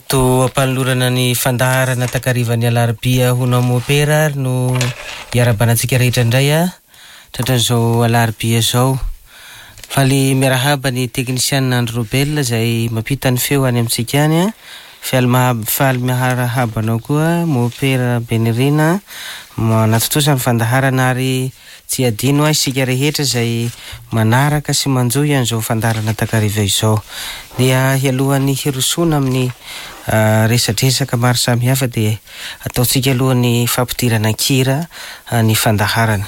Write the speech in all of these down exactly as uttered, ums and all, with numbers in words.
Eto ampanolorana ny fandaharana takarivan'ny alarobia ho anao mopera ary no iarahabana antsika rehetra indray a tratran'izao alarobia izao. Faly miarahaba ny teknisianina Andry Robel izay mampita ny feo any amintsika any a. Faly maha- faly miarahaba anao koa mopera Benirina manatontosa ny fandaharana ary tsy adino a isika rehetra izay manaraka sy manjohy an'izao fandaharana takariva izao. Dia hialohan'ny hirosoana amin'ny resadresaka maro samihafa dia ataontsika alohan'ny fampidirana an-kira ny fandaharana.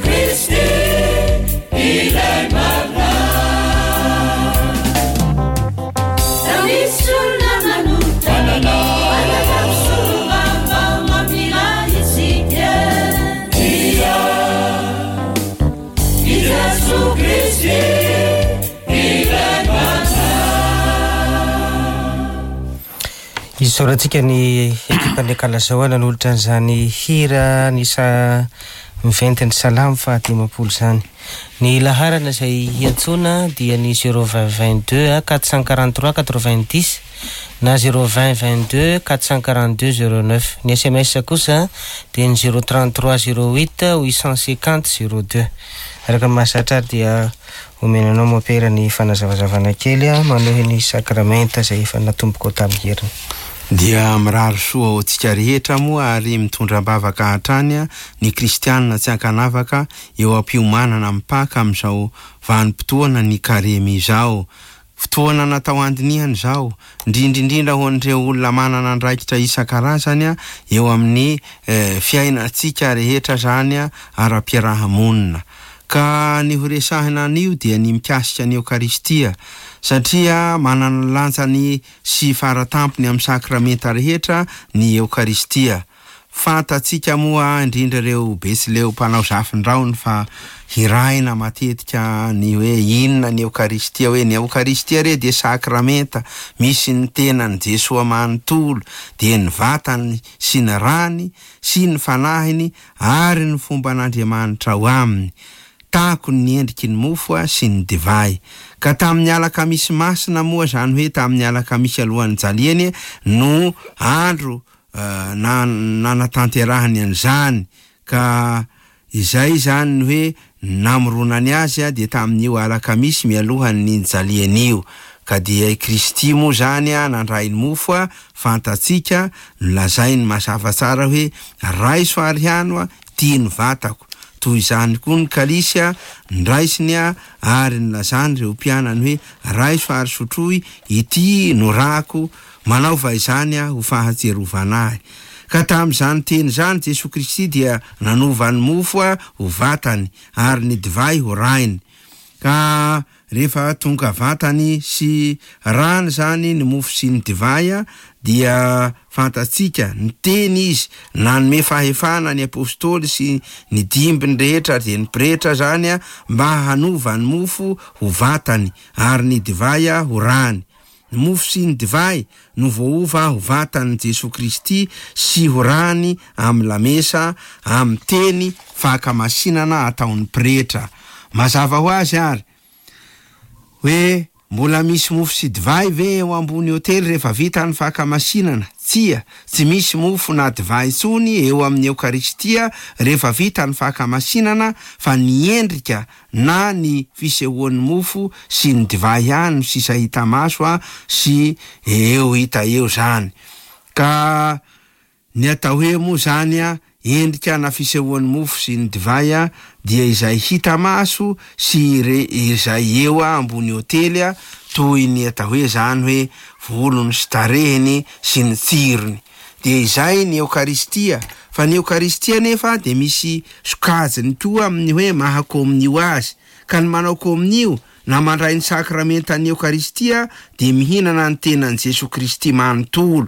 Kristy ilay marina. Raha misy olona manota, manana mpisolovava mamela isika, dia i Jesoa Kristy ilay marina. Isaorantsika ny ekipan'ny Akalazao nanolotra an'izany hira ny sa miventin'ny salamo fahadimampolo izany. Ny laharana izay hiantsoana dia ny zéro vingt vingt-deux quatre cent quarante-trois quatre-vingt-dix na zéro vingt vingt-deux quatre cent quarante-deux zéro neuf. Ny S M S kosa dia ny zéro trente-trois zéro huit huit cent cinquante zéro deux. Araka ny mahazatra ary dia omenanao mopera ny fanazavazavana kely a manohy ny sakramenta izay efa natomboko tamin'ny heriny. Dia mirary soa ho antsika rehetra moa ary mitondra am-bavaka hatrany ny kristianina tsy ankanavaka eo am-piomanana amin'ny Paka amin'izao vanim-potoana ny karemy izao. Fotoana natao andinihana izao, indrindra indrindra ho an'ireo olona manana andraikitra isan-karazany eo amin'ny eh, fiainantsika rehetra zany ara-piarahamonina. Ka ny ho resahina an'io dia ny mikasika ny Eokaristia, satria manana lanjany sy faratampony amin'ny sakramenta rehetra ny Eokaristia. Fantatsika moa indrindra ireo betsileo mpanao zafindraony fa hiraina matetika ny hoe inona ny Eokaristia, hoe ny Eokaristia re dia sakramenta misy ny tenan'i Jesoa manontolo, dia ny vatany sy ny rany sy ny fanahiny ary ny fomban'Andriamanitra ao aminy. Tahako ny endriky ny mofo sy ny divay. Ka tamin'ny alakamisy masina moa, zany hoe tamin'ny alakamisy alohan'ny jaliany no andro uh, na nanatanterahany an'izany. Ka izay zany ny hoe namoronany azy a dia tamin'io alakamisy mialohan'ny nijaliany io. Ka dia i Kristy moa zany a nandray ny mofo a fantatsika, nolazainy mazava tsara hoe raiso ary hano a tia ny vatako. Toy izany koa ny kalisy a ndraisiny a ary nilazany ireo mpianany hoe raiso ary sotroy, ity no rako, manaova izany a ho fahatsiarovana ahy. Ka tamin'izany teny izany Jesoa Kristy dia nanova ny mofo a ho vatany ary ny divay ho rainy. Ka rehefa tonga vatany sy rany zany ny mofo sy ny divay a dia fantatsika ny teny izy nanome fahefana ny apôstôly sy ny dimbiny rehetra dia ny pretra zany a mba hanova ny mofo ho vatany ary ny divay a ho rany. Ny mofo sy ny divay no voaova ho vatan'i Jesoa Kristy sy ho rany amin'ny lamesa amin'ny teny fankamasinana ataon'ny pretra. Mazava ho azy ary hoe mbola misy mofo sy divay ve eo ambony hotely rehefa vita ny fankamasinana? Tsia, tsy misy mofo na divay intsony eo amin'ny Eokaristia rehefa vita ny fankamasinana, fa ny endrika na ny fisehoan'ny mofo sy ny divay ihany no sisa hita maso a sy eo hita eo zany. Ka ny atao hoe moa zany a endrika na fisehoan'ny mofo sy ny divay a dia izay hita maso sy re izay eo a ambony hotely a, toy ny atao hoe zany hoe volony sy tarehiny sy ny tsirony. Dia izay ny Eokaristia. Fa ny Eokaristia nefa dia misy sokajiny koa amin'ny hoe maha kominio azy. Ka ny manao kominio na mandray ny sakramentan'ny Eokaristia dia mihinana ny tenan'i Jesoa Kristy manontolo.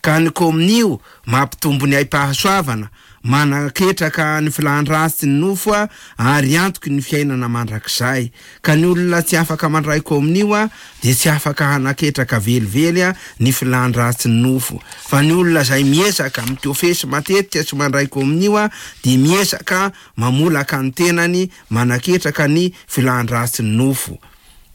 Ka ny kominio mampitombo ny aim-pahasoavana, manaketraka ny filan-dratsy ny nofo a ary antoky ny fiainana mandrakizay. Ka ny olona tsy afaka mandray kominio a dia tsy afaka hanaketraka velively a ny filan-dratsy ny nofo. Fa ny olona izay miezaka mitofesy matetika tsy mandray kominio a dia miezaka mamolaka ny tenany manaketraka ny filan-dratsy ny nofo.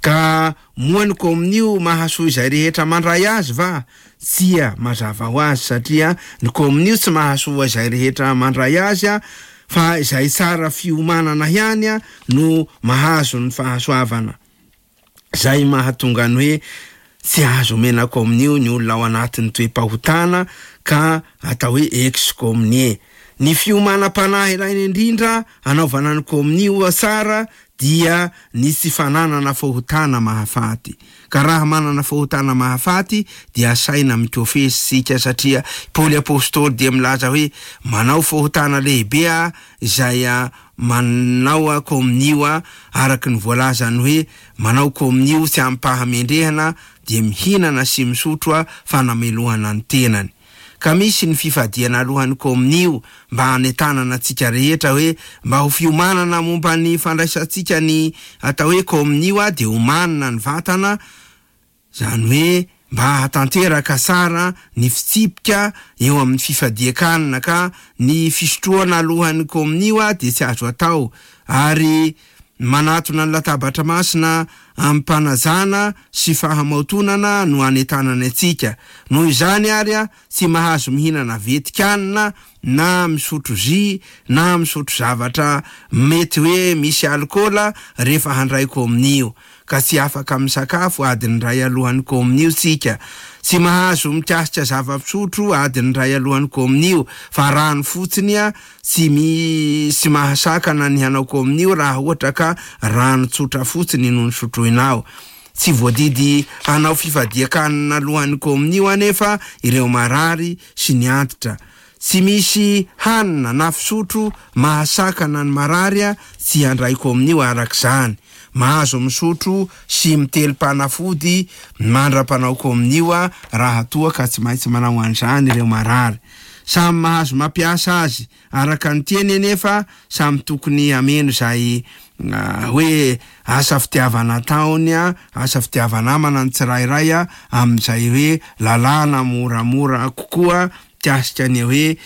Ka moa ny kominio mahasoa izay rehetra mandray azy va? Tsia, mazava ho azy, satria ny kominio tsy mahasoa izay rehetra mandray azy a, fa izay tsara fiomanana ihany a no mahazo ny fahasoavana. Zay mahatonga ny hoe tsy azo omena kominio ny olona ao anatin'ny toe-pahotana ka atao hoe ex-communié. Ny fiomanam-panahy ilaina indrindra anaovana ny kominio tsara dia ny tsy fananana fahotana mahafaty. Ka raha manana fahotana mahafaty dia asaina mikofesy sika, satria Paoly apôstôly dia milaza hoe manao fahotana lehibe a izay a manao komonio araka ny voalazany hoe manao komonio tsy amim-pahamendrehana dia mihinana sy misotro fanamelohana ny tenany. Ka misy ny fifadiana alohan'ny komonio mba hanentanana antsika rehetra hoe mba ho fiomanana momba ny fandraisantsika ny atao hoe komonio dia omanina ny vatana, zany hoe mba hahatanteraka tsara ny fitsipika eo amin'ny fifadian-kanina, ka ny fisotroana alohan'ny komonio dia tsy azo atao, ary manatona ny latabatra masina amim-panajana sy fahamaotonana no anentanana antsika. Noho izany ary a tsy mahazo mihinana vetikanina na misotro zy na misotro zavatra mety hoe misy alkaola rehefa handray komonio, ka tsy afaka misakafo adiny iray alohan'ny komonio tsika. Tsy mahazo mikasika zava-pisotro adiny iray alohan'ny komonio, fa rano fotsiny a tsy mi tsy mahasakana ny hanao komonio raha ohatra ka rano tsotra fotsiny no nisotroinao. Tsy voadidy hanao fifadian-kanina alohan'ny komonio anefa ireo marary sy ny antitra. Tsy misy hanina na fisotro mahasakana ny marary a tsy handray komonio arak'izany. Mahazo misotro sy miteli-panafody mandra-panao komonio a raha toa ka tsy maintsy manao an'izany ireo marary. Samy mahazo mampiasa azy araka ny tiany anefa samy tokony hameno izay hoe asa fitiavana ataony a, asa fitiavana namana ny tsirairay a amin'izay hoe lalàna moramora kokoa mikasika ny hoe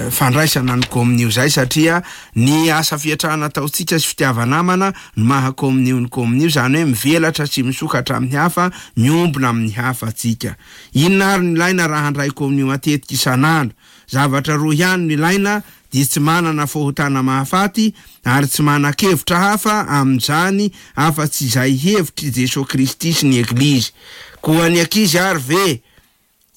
fandraisana ny komonio zay, satria ny asa fiatrahana ataontsika sy fitiavana namana no maha komonio ny komonio, zany hoe mivelatra sy misokatra amin'ny hafa, miombona amin'ny hafa atsika. Inona ary no ilaina raha handray komonio matetika isan'andro? Zavatra roa ihany no ilaina, dia tsy manana fahotana mahafaty ary tsy manan-kevitra hafa amin'izany afa-tsy izay hevitr'i Jesoa Kristy sy ny Eglizy. Koa ny ankizy ary ve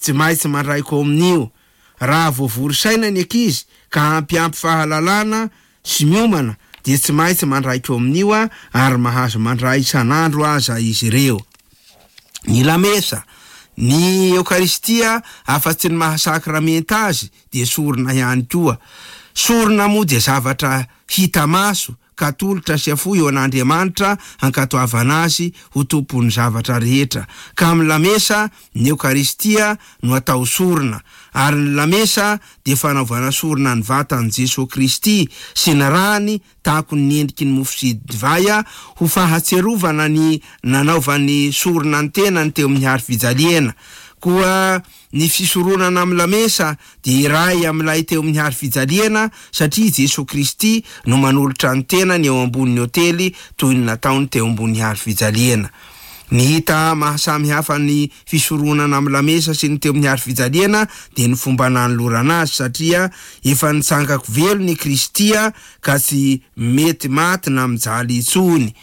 tsy maintsy mandray komonio? Raha voavory saina ny ankizy ka hampiampy fahalalana sy miomana dia tsy maintsy mandray komonio ary mahazo mandray isan'andro aza izy ireo. Ny lamesa, ny Eokaristia afa-tsy ny mahasakramenta azy dia sorona ihany koa. Sorona moa dia zavatra hita maso ka tolotra sy afoy eo an'Andriamanitra hankatoavana azy ho tompon'ny zavatra rehetra. Ka amin'ny lamesa ny Eokaristia no atao sorona, ary ny lamesa dia fanaovana sorona ny vatan'i Jesoa Kristy sy ny rany tahaka ny endriky ny mofo sy divay ho fahatserovana ny nanaovany sorona ny tenany teo amin'ny hazo fijaliana. Koa ny fisoronana amin'ny lamesa dia iray amin'ilay teo amin'ny hazo fijaliana, satria Jesoa Kristy no manolotra ny tenany eo ambonin'ny hotely toy ny nataony teo ambony hazo fijaliana. Ny hita mahasamy hafa ny fisoronana amin'ny lamesa sy ny teo amin'ny hazo fijaliana dia ny fomba nanolorana azy, satria efa nitsangako velona i Kristy ka tsy mety maty na mijaly intsony.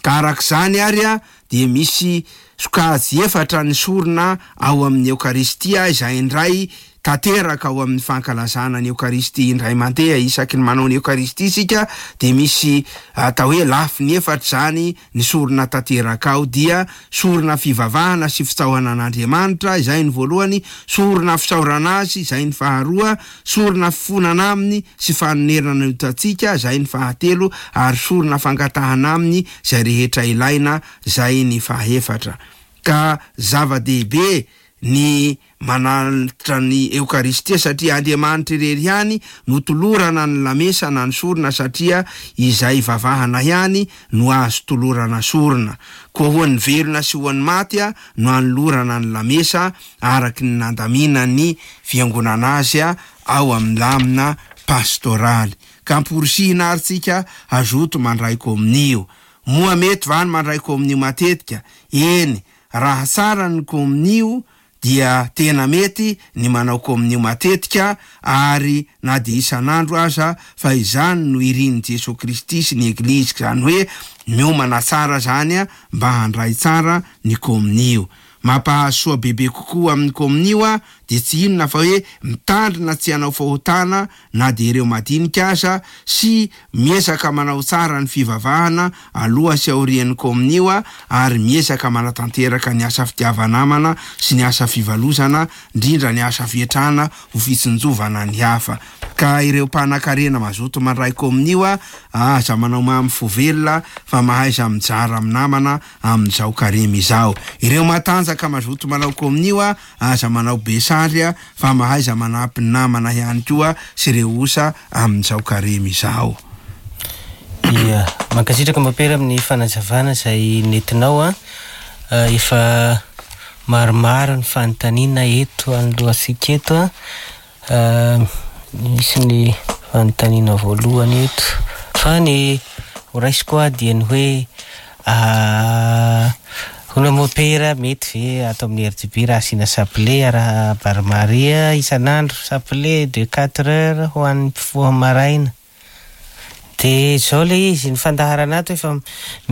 Ka arak'izany ary a dia misy sokajy efatra ny sorona ao amin'ny Eokaristia izay indray tanteraka ao amin'ny fankalazana ny Eokaristia indray mandeha. Isaky ny manao ny Eokaristia isika dia misy atao hoe lafiny efatra zany ny sorona tanteraka ao, dia sorona fivavahana sy fitsaohana an'Andriamanitra izay ny voalohany, sorona fisaorana azy izay ny faharoa, sorona fifonana aminy sy fanonerana ny otantsika izay ny fahatelo, ary sorona fangatahana aminy izay rehetra ilaina izay ny fahefatra. Ka zava-dehibe ny manalitra ny Eokaristia, satria Andriamanitra irery ihany no tolorana ny lamesa na ny sorona, satria izay vavahana ihany no azo tolorana sorona. Koa ho an'ny velona sy ho an'ny maty a no anolorana ny lamesa araky ny nandaminan'ny fiangonana azy a ao amin'ny lamina pastoraly. Ka amporisihina ary tsika hazoto mandray komonio. Moa mety va ny mandray komonio matetika? Eny, raha tsara ny komonio dia tena mety ny manao komonio matetika, ary na dia isan'andro aza, fa izany no irin'i Jesoa Kristy sy ny Eglizy, zany hoe miomana tsara zany a mba handray tsara ny komonio. mampahasoa bebe kokoa amin'ny komonio a de tsy inona fa hoe mitandrina tsy hanao fahotana na de ireo madinika aza, sy miezaka manao tsara ny fivavahana aloha sy aorian'ny komonio a, ary miezaka manatanteraka ny asa fitiava-namana sy ny asa fivalozana, indrindra ny asa fietrana ho fitsinjovana ny hafa. Ka ireo mpanan-karena mazoto mandray komonio a, aza manao mamy fo velona fa mahaiza mijara amin'ny namana amin'izao karemy izao. Ireo matanjaka mazoto manao komonio a, aza manao be sary a, fa mahaiza manampy ny namana ihany koa sy ireo osa amin'izao karemy izao. Ia, mankasitraka Mopera amin'ny fanazavana izay nentinao a. Efa maromaro ny fanontaniana eto anoloantsika eto a. Misy ny fanontaniana voalohany eto fa ny horaisiko a dia ny hoe hono Mopera mety ve ato amin'ny R D B raha asiana chapelet raha Barmaria isan'andro, chapelet de quatre heures ho an'ny mpifoha maraina? De zao le izy, ny fandaharana ato efa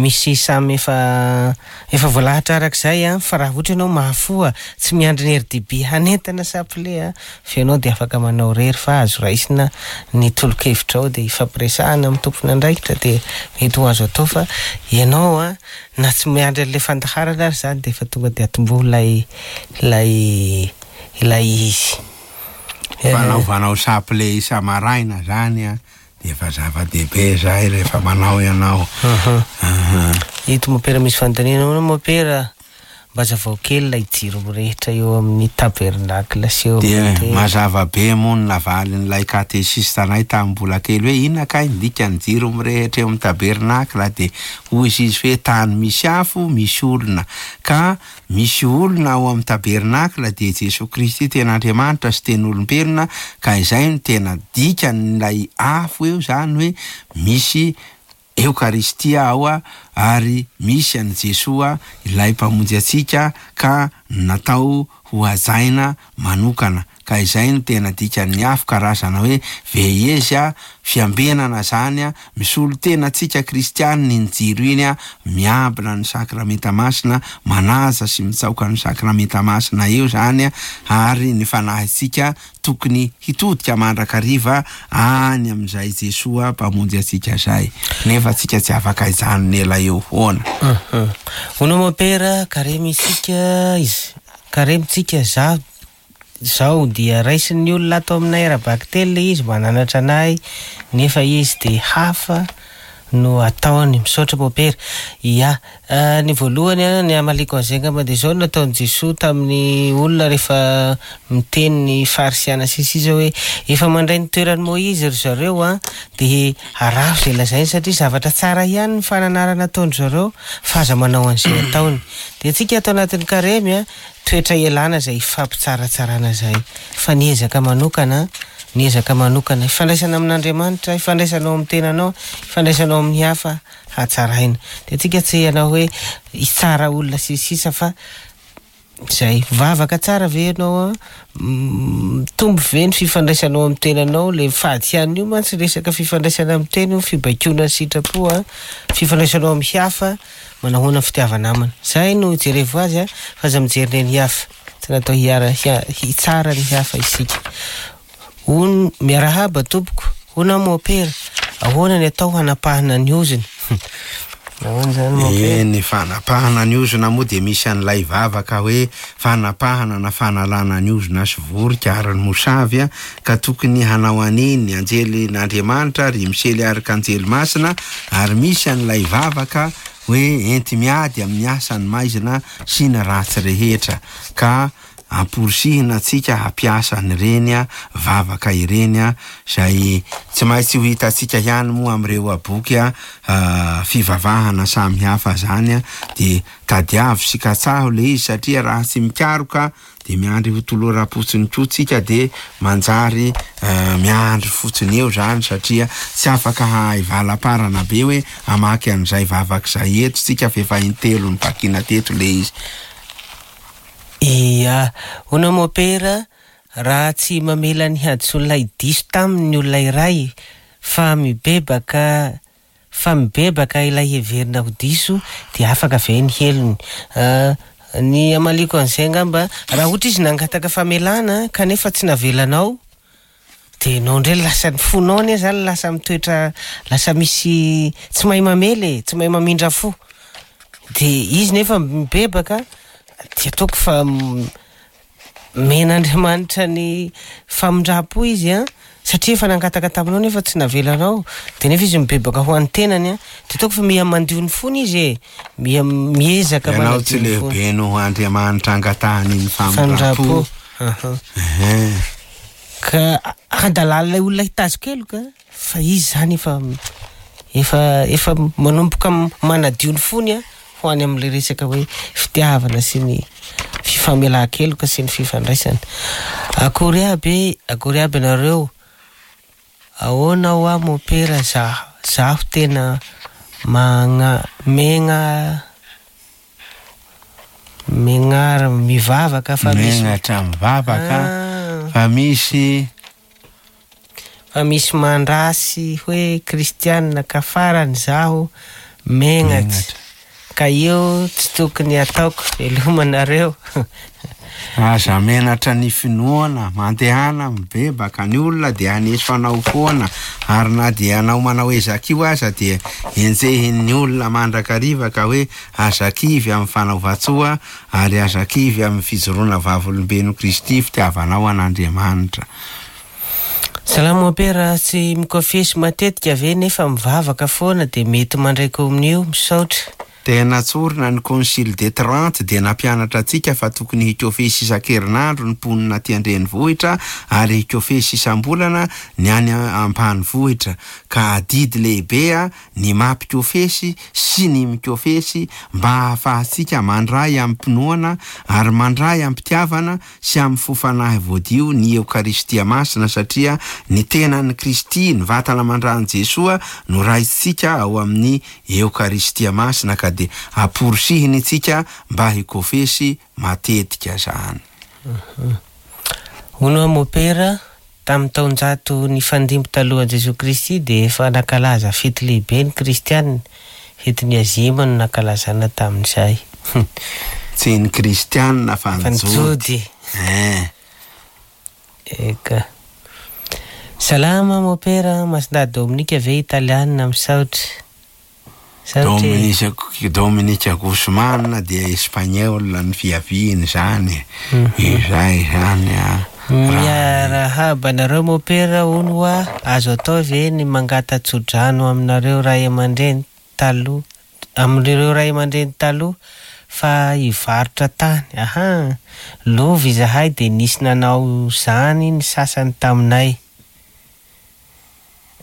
misy samy efa efa voalahatra arak'izay a, fa raha ohatra ianao mahafoha tsy miandry ny R D B hanentana chapelet a, fa ianao de afaka manao rery fa azo raisina ny tolo-kevitra ao de ifampiresahana amin'ny tompon'andraikitra de mety ho azo atao, fa ianao a na tsy miandry an'ilay fandaharana ary zany de efa tonga de atomboho ilay ilay ilay izy. Fanaovanao chapelet isa-maraina zany a, de efa zava-dehibe zay rehefa manao ianao. Eto Mopera misy fanontaniana hono Mopera, mba hazavao kely ilay jiro mirehitra eo amin'ny tabernacle sy eo De amin'ny mazava be moa ny navalin'ilay katesista anay tamin'ny mbola kely hoe inona kay ny dikan'ny jiro mirehitra eo amin'ny tabernacle, de hoy izy hoe tany misy afo misy olona, ka misy olona ao amin'ny tabernacle de Jesoa Kristy tena Andriamanitra sy tena olombelona, ka izay no tena dikan'ilay afo eo zany hoe misy Eokaristia ao a, ary misy an'i Jesoa ilay mpamonjy antsika ka natao ho hajaina manokana, ka izay no tena dikan'ny afo, karazana hoe veilleuse a, fiambenana zany a, misolo tena antsika kristianina iny jiro iny a, miambina ny sakramenta masina, manaja sy mitsaoka ny sakramenta masina eo zany a, ary ny fanahintsika tokony hitodika mandrakariva any amin'izay Jesoa mpamonjy antsika zay, nefa tsika tsy afaka hijanona ela eo foana. Hono Mopera, karemy isika izy, karemy tsika za zao dia raisin'ny olona ato aminay ara-bakiteny ilay izy mananatra anay, nefa izy de hafa no ataony. Misaotra Mopera. Ia, ny voalohany a, ny hamaliko an'izay angamba dia zao no nataon'i Jesoa tamin'ny olona rehefa miteny ny farisiana sy sisa hoe efa mandray ny toeran'i Moizy ry zareo a, de araho izay lazainy satria zavatra tsara ihany ny fananarana ataon-dry zareo fa aza manao an'izay ataony. De tsika ato anatin'ny karemy a, toetra ialana izay ifampitsaratsarana izay, fa ny ezaka manokana, ny ezaka manokana ifandraisana amin'Andriamanitra, ifandraisanao amin'ny tenanao, ifandraisanao amin'ny hafa hatsaraina. De tsika tsy hanao hoe hitsara olona sy sisa fa zay. Vavaka tsara ve ianao a? Mitombo ve ny fifandraisanao amin'ny tenanao? Le fady ihany io mantsy resaka fifandraisana amin'ny tena io, fibaikoana ny sitrapo a, fifandraisanao amin'ny hafa, manao ahoana ny fitiava-namana. Zay no jerevo azy a, fa aza mijery ny hafa. Tsy natao hiara-, hia-, hitsara ny hafa isika. Hono, miarahaba tompoko, hono aho Mopera, ahoana ny atao hanapahana ny ozona? Ahoana zany Mopera? E, ny fanapahana ny ozona moa dia misy an'ilay vavaka hoe fanapahana na fanalana ny ozona sy vorika ary ny mosavy a, ka tokony hanao an'iny ny anjelin'Andriamanitra ry Misely arkanjely masina, ary misy an'ilay vavaka hoe enti-miady amin'ny asan'ny maizina sy ny ratsy rehetra, ka amporisihina antsika hampiasa an'ireny a, vavaka ireny a, izay tsy maintsy ho hitantsika ihany moa amin'ireo boky a, a, fivavahana samihafa zany a, de tadiavo sy katsaho le izy satria raha tsy mikaroka de miandry ho toloram-potsiny koa tsika, de manjary, eh, miandry fotsiny eo zany satria tsy afaka hahay valam-parana be hoe hamaky an'izay vavaka izay eto tsika fa efa intelo nivakina teto le izy. Ia, hono Mopera, raha tsy mamela ny hadisoan'ilay diso taminy ny olona iray fa mibebaka, fa mibebaka ilay heverina ho diso dia afaka ve ny helony? Ah, Ny amaliko an'izay angamba, raha ohatra izy nangataka famelana kanefa tsy navelanao, de ianao indray lasa ny fonao anie zany lasa mitoetra, lasa misy tsy mahay mamela e, tsy mahay mamindra fo. De izy nefa mibebaka, de ataoko fa men'Andriamanitra ny famindram-po izy a, satria efa nangataka taminao nefa tsy navelanao, de nefa izy mibebaka ho an'ny tenany a, de ataoko fa miha mandio ny fony izy e, miha miezaka Ianao tsy manadio ny fony. lehibe noho Andriamanitra angatahany ny famindram-po. Famindram-po. Aha. Ehe. Ka andalan'ilay olona hitazo-keloka fa izy zany efa efa efa manomboka manadio ny fony a ho any amin'ilay resaka hoe fitiavana sy ny fifamelan-keloka sy ny fifandraisana. Akory aby, akory aby nareo. Ahoana ho aho mopera, za zaho tena magna megna megnara mivavaka fa misy Megnatra mivavaka Ah. fa misy fa misy mandrasy hoe kristianina ka farany zaho megnatra. Ka io tsy tokony ataoko, velomanareo. Aza menatra ny finoana, mandehana mibebaka ny olona dia haneso anao foana, ary na dia anao manao ezaka io aza dia enjehin'ny olona mandrakariva ka hoe aza kivy amin'ny fanaovan-tsoa ary aza kivy amin'ny fijoroana vavolombelon'i Kristy fitiavanao an'Andriamanitra. Salama mompera, tsy mikofesy matetika ve nefa mivavaka foana dia mety mandray komonio? Misaotra. Tena tsorina ny Concile de Trente dia nampianatra antsika fa tokony hikofesy isan-kerinandro ny mponina aty an-drenivohitra ary hikofesy isam-bolana ny any ambanivohitra, ka adidy lehibe a ny mampikofesy sy ny mikofesy mba hahafahantsika mandray amim-pinoana ary mandray am-pitiavana sy amin'ny fo fanahy voadio ny Eokaristia masina, satria ny tenan'i Kristy, ny vatana mandran'i Jesoa no raisitsika ao amin'ny Eokaristia masina, ka dia amporisihiny itsika mba hikofesy matetika zany. Hono mopera, tamin'ny taonjato nifandimby talohan'i Jesoa Kristy dia efa nankalaza fety lehibe ny kristianina. Fetin'ny Azima no nankalazana tamin'izay. Tsy ny kristianina fa ny Fa ny Jody. Jody. Eh. Eka. Salama mopera, Masindahy Dominika ve italianina? Misaotra. Misaotra. Dominika, Dominika Guzman dia espagnol ny fiaviany zany. Izay zany a. Miarahaba anareo mopera, hono hoa azo atao ve ny mangata-tsodrano aminareo ray aman-dreny taloha, amin'ireo ray aman-dreny taloha fa hivarotra tany? Aha, lova izahay dia nisy nanao zany ny sasany taminay.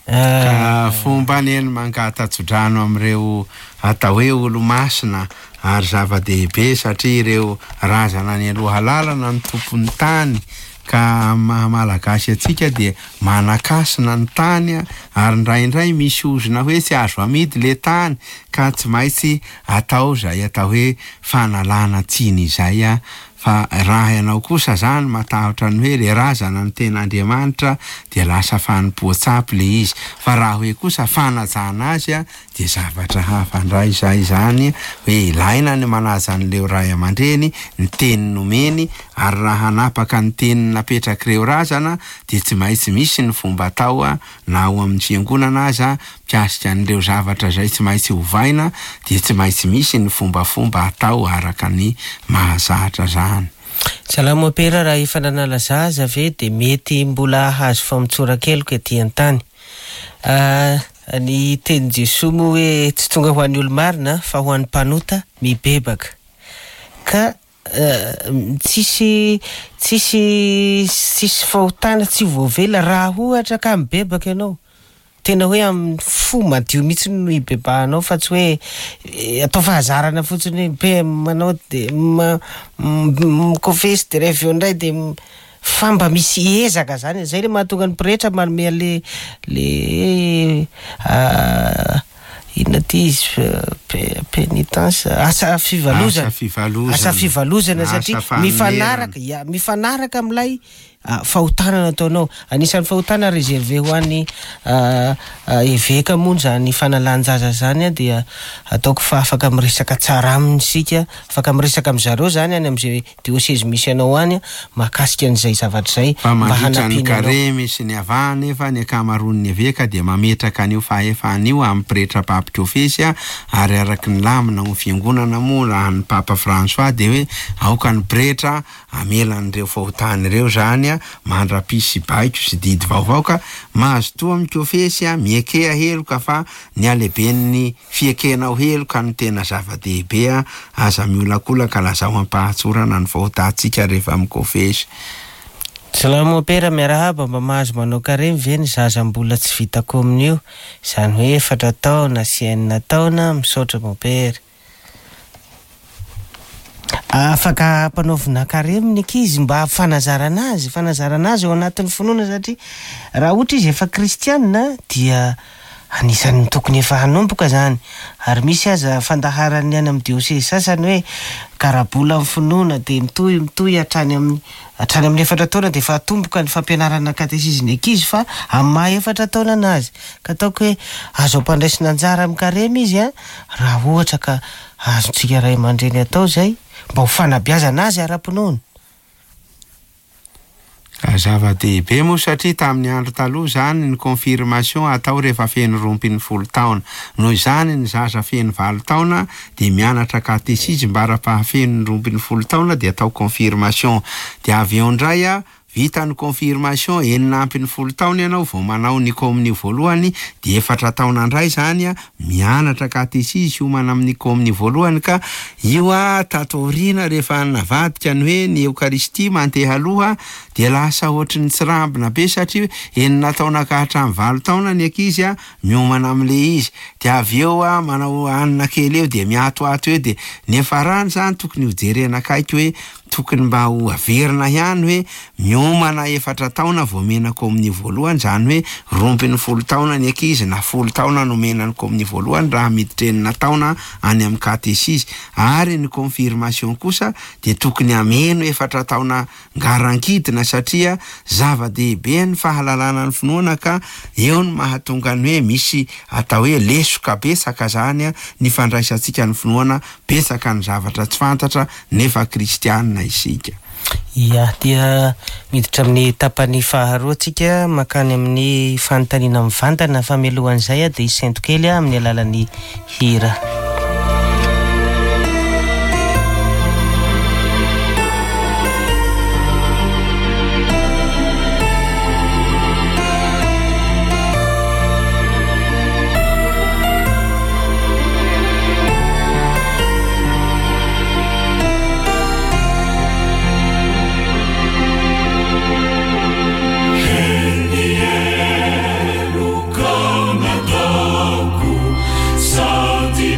Ka fomba anie ny mangata-tsodrano amin'ireo atao hoe olo-masina, ary zava-dehibe satria ireo razana any aloha lalana ny tompon'ny tany, ka maha malagasy antsika dia manakasina ny tany, ary indraindray misy ozona hoe tsy azo amidy le tany, ka tsy maintsy atao izay atao hoe fanalana tsiny izay a. Fa raha ianao kosa zany matahotra ny hoe le razana ny tena Andriamanitra dia lasa fanompoan-tsampy le izy, fa raha hoe kosa fanajana azy a dia zavatra hafa indray izay zany, hoe ilaina ny manaja an'ireo ray aman-dreny, ny teny nomeny, ary raha hanapaka ny teny napetrak'ireo razana dia tsy maintsy misy ny fomba atao a, na ao amin'ny fiangonana aza mikasika an'ireo zavatra izay tsy maintsy ovaina dia tsy maintsy misy ny fombafomba atao araka ny mahazatra zany. Salama mopera, raha efa nanala zaza ve dia mety mbola hahazo famotsoran-keloka ety an-tany? Ah, ny tenin'i Jesoa moa hoe tsy tonga ho an'ny olo-marina fa ho an'ny mpanota mibebaka. Ka, eh, tsisy, tsisy, tsisy fahotana tsy voavela raha ohatra ka mibebaka ianao. Tena hoe amin'ny fo madio mihitsy no hibebahanao, fa tsy hoe, eh, atao fahazarana fotsiny hoe be manao de ma-, m-, mikofesy de rehefa eo indray de m-, fa mba misy ezaka zany. Zay le mahatonga ny pretra manome an'le, le, ah, inona ty izy, Pénitence, asa fivalozana, Asa fivalozana. Asa fivalozana Asa satria fanonerana. mifanaraka, ya, mifanaraka amin'ilay ah, fahotana nataonao. Anisan'ny fahotana réservé ho an'ny ah, ah, eveka moa zany fanalan-jaza zany a, dia ataoko fa afaka miresaka tsara aminy isika, afaka miresaka amin'ny zareo zany any amin'izay diocèse misy anao any a, mahakasika an'izay zavatra izay Fa mba mandritra ny hanampiana anao. karemy sy ny avahana nefa ny ankamaroan'ny eveka dia mametraka an'io fahefana io amin'ny pretra mpampikofesy a, ary araky ny lamina ho fiangonana moa raha ny Papa François dia hoe aoka ny pretra amela an'ireo fahotana ireo zany a, mandra-pisy baiko sy didy vaovao ka mahazotoa mikofesy a, miekea heloka fa ny halehiben'ny fiekenao heloka no tena zava-dehibe a, aza miolakolaka, lazao am-pahatsorana ny fahotantsika rehefa mikofesy. Salama mopera, miarahaba. Mba mahazo manao karemy ve ny zaza mbola tsy vita kominio, izany hoe efatra taona sy enina taona? Misaotra mopera. Afaka ampanaovina karemy ny ankizy mba fanazarana azy, fanazarana azy ao anatin'ny finoana, satria raha ohatra izy efa kristianina dia anisan'ny tokony efa hanomboka zany. Ary misy aza fandaharan'ny any amin'ny diocèse sasany hoe karabola amin'ny finoana dia mitohy mitohy hatrany amin'ny hatrany amin'ny efatra taona dia efa atomboka ny fampianarana katesizy ny ankizy fa amin'ny maha efatra taona anazy. Ka ataoko hoe azo ampandraisina anjara amin'ny karemy izy a, raha ohatra ka azontsika ray aman-dreny atao izay mba ho fanabeazana azy ara-pinoana. Ka zava-dehibe moa satria tamin'ny andro taloha zany ny confirmation atao rehefa feno roa ambin'ny folo taona. Noho izany ny zaza feno valo taona dia mianatra katesizy mba ara-pahafeno ny roa ambin'ny folo taona dia atao confirmation. Dia avy eo indray a, vita ny confirmation enina ambin'ny folo taona ianao vao manao ny kominio voalohany, dia efatra taona indray zany a, mianatra katesizy hiomana amin'ny kominio voalohany. Ka io a, tato aoriana rehefa navadika ny hoe ny Eokaristia mandeha aloha dia lasa ohatry ny tsirambina be satria enina taona ka hatramin'ny valo taona ny ankizy a, miomana amin'le izy, dia avy eo a, manao hanina kely eo dia miatoato eo, dia nefa rany zany tokony hojerena akaiky hoe tokony mba ho averina ihany hoe miomana efatra taona vao omena kominio voalohany, zany hoe roa ambin'ny folo taona ny ankizy na folo taona no omena ny kominio voalohany raha miditra enina taona any amin'ny katesizy. Ary ny confirmation kosa dia tokony ameno efatra taona ngarankidina satria zava-dehibe ny fahalalana ny finoana, ka eo no mahatonga ny hoe misy atao hoe lesoka betsaka zany a, ny fandraisantsika ny finoana, betsaka ny zavatra tsy fantatra nefa kristianina isika. Ia, dia miditra amin'ny tapany faharoa tsika makany amin'ny fanontaniana mivantana, fa mialohan'izay a dia hisento kely a amin'ny alalan'ny hira. Sadi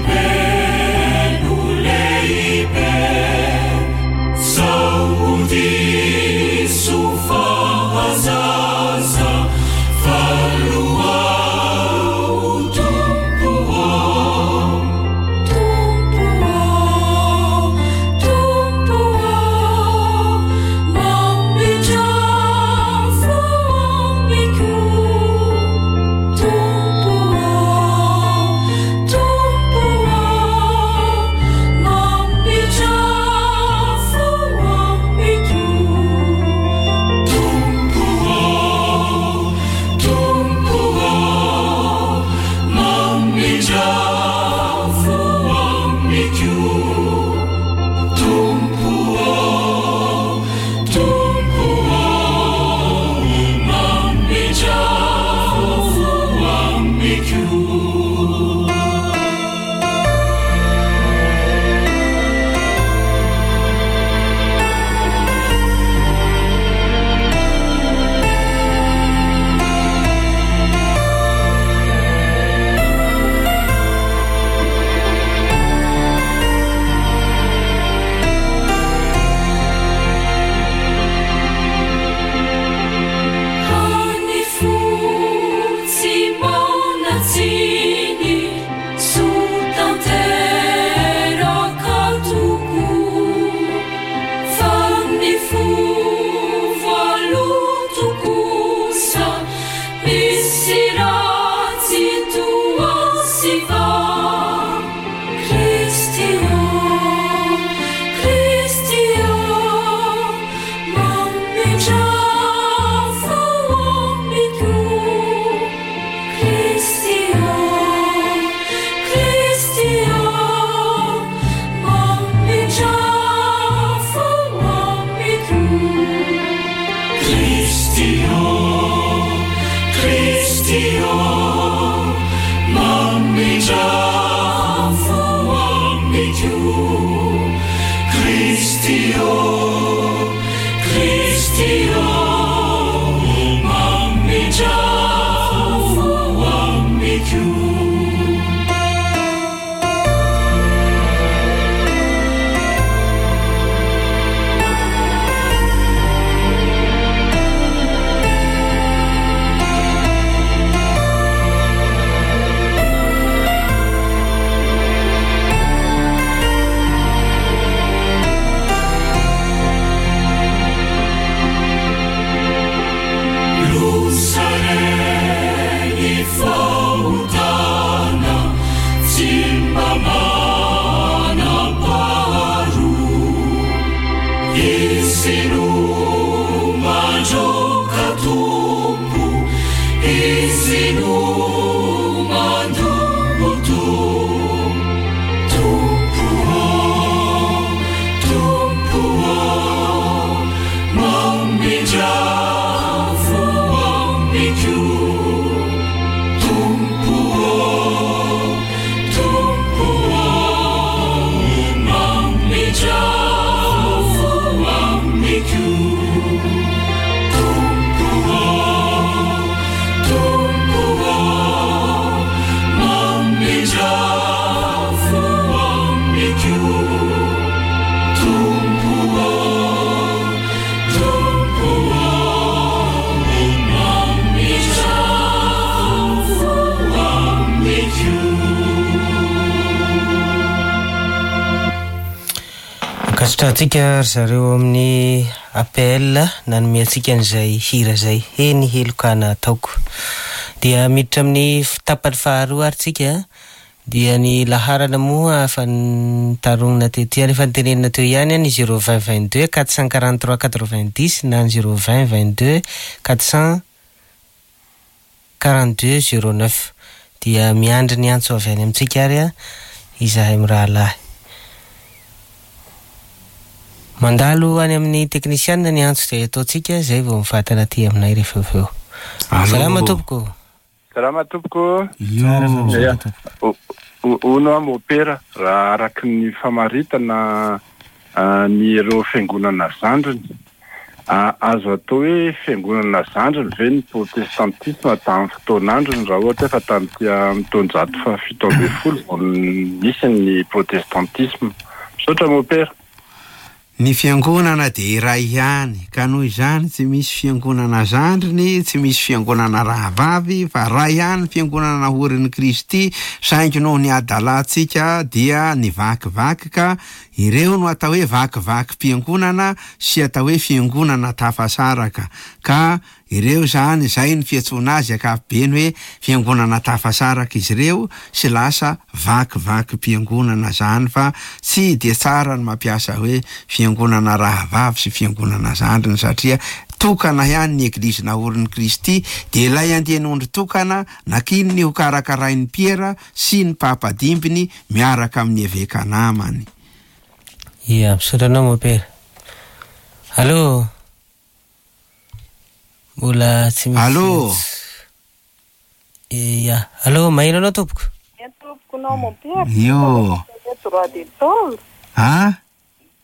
amiko. Kristy ô, Kristy ô, mamindra fo amiko. Lusareny fahotana tsy mba manam-paharoa. Izy no mandroaka Tompo, Izy no mandoto. Tompo ô, Tompo ô, mamindra fo amiko. Tompo ô, Tompo ô, mamindra fo amiko. Tompo ô, Tompo ô, mamindra fo amiko. Tompo ô, Tompo ô, mamindra fo amiko. Ankasitrahantsika ry zareo amin'ny A P L nanome antsika an'izay hira izay, Eny heloka nataoko. Dia miditra amin'ny tapany faharoa ary tsika, dia ny laharana moa efa nitaronina teto ihany, efa nitenenina teo ihany ny zéro vingt vingt-deux quatre cent quarante-trois quatre-vingt-dix na ny zéro vingt vingt-deux quatre cent quarante-deux zéro neuf. Dia miandry ny antso avy any amintsika ary a, izahay mirahalahy. Mandalo any amin'ny teknisianina ny antso izay ataontsika, izay vao mifatana aty aminay rehefa avy eo. Allô. Salama tompoko. Salama tompoko. Io. Ya. O- o- Ono aho mopera, raha araky ny famaritana, ah, ny ireo fiangonana zandriny. Ah, azo atao hoe fiangonana zandriny ve ny protestantisme tamin'ny fotoan'androny, raha ohatra hoe fa tamin'ity amin'ny taonjato fahafito ambin'ny folo vao nisy ny protestantisme. Misaotra mopera. Ny fiangonana dia iray ihany, ka noho izany tsy misy fiangonana zandriny, tsy misy fiangonana rahavavy, fa iray ihany ny fiangonana naorin'i Kristy, saingy noho ny adalantsika dia nivakivaky ka ireo no atao hoe vakivakim-piangonana sy atao hoe fiangonana tafasaraka. Ka ireo zany, izay ny fiantsoana azy ankapobeny hoe fiangonana tafasaraka izy ireo sy lasa vakivakim-piangonana zany, fa tsy dia tsara ny mampiasa hoe fiangonana rahavavy sy fiangonana zandriny, satria tokana ihany ny eglizy naorin'i Kristy, dia ilay andian'ondry tokana nakininy ho karakarain'ny Piera sy ny Papa dimbiny miaraka amin'ny eveka namany. Ia, misaotra anao mopera. Allô? Mbola tsy misy Allô? antso. Ia, allô, maheno anao tompoko? Maheno tompoko nao mopera. Io. Droit de tôle. Ha?